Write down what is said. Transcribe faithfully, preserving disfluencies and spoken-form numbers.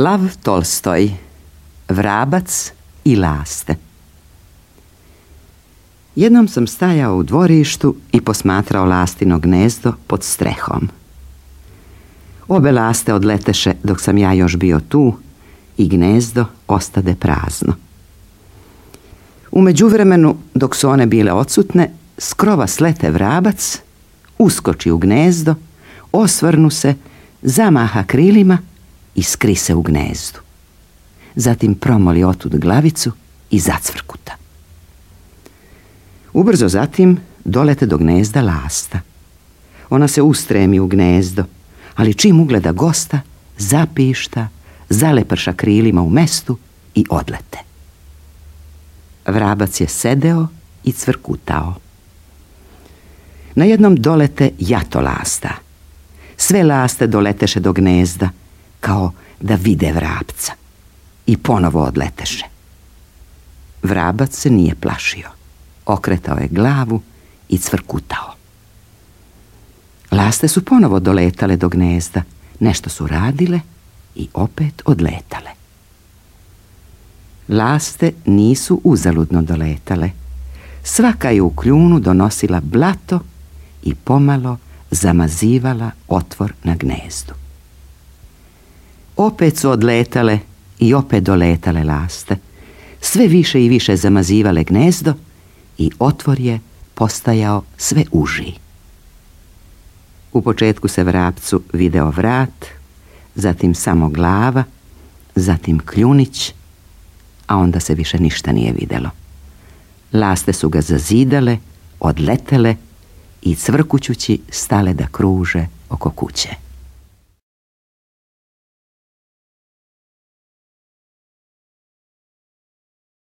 Lav Tolstoj, Vrabac i laste. Jednom sam stajao u dvorištu i posmatrao lastino gnezdo pod strehom. Obe laste odleteše dok sam ja još bio tu i gnezdo ostade prazno. U međuvremenu, dok su one bile odsutne, s krova slete vrabac, uskoči u gnezdo, osvrnu se, zamaha krilima i skri se u gnezdu. Zatim promoli otud glavicu i zacvrkuta. Ubrzo zatim dolete do gnezda lasta. Ona se ustremi u gnezdo, ali čim ugleda gosta, zapišta, zaleprša krilima u mestu i odlete. Vrabac je sedeo i cvrkutao. Na jednom dolete jato lasta. Sve laste doleteše do gnezda, kao da vide vrapca. I ponovo odleteše. Vrabac se nije plašio. Okretao je glavu i cvrkutao. Laste su ponovo doletale do gnezda. Nešto su radile i opet odletale. Laste nisu uzaludno doletale. Svaka je u kljunu donosila blato i pomalo zamazivala otvor na gnezdu. Opet su odletale i opet doletale laste. Sve više i više zamazivale gnezdo i otvor je postajao sve uži. U početku se vrapcu video vrat, zatim samo glava, zatim kljunić, a onda se više ništa nije videlo. Laste su ga zazidale, odletele i cvrkućući stale da kruže oko kuće.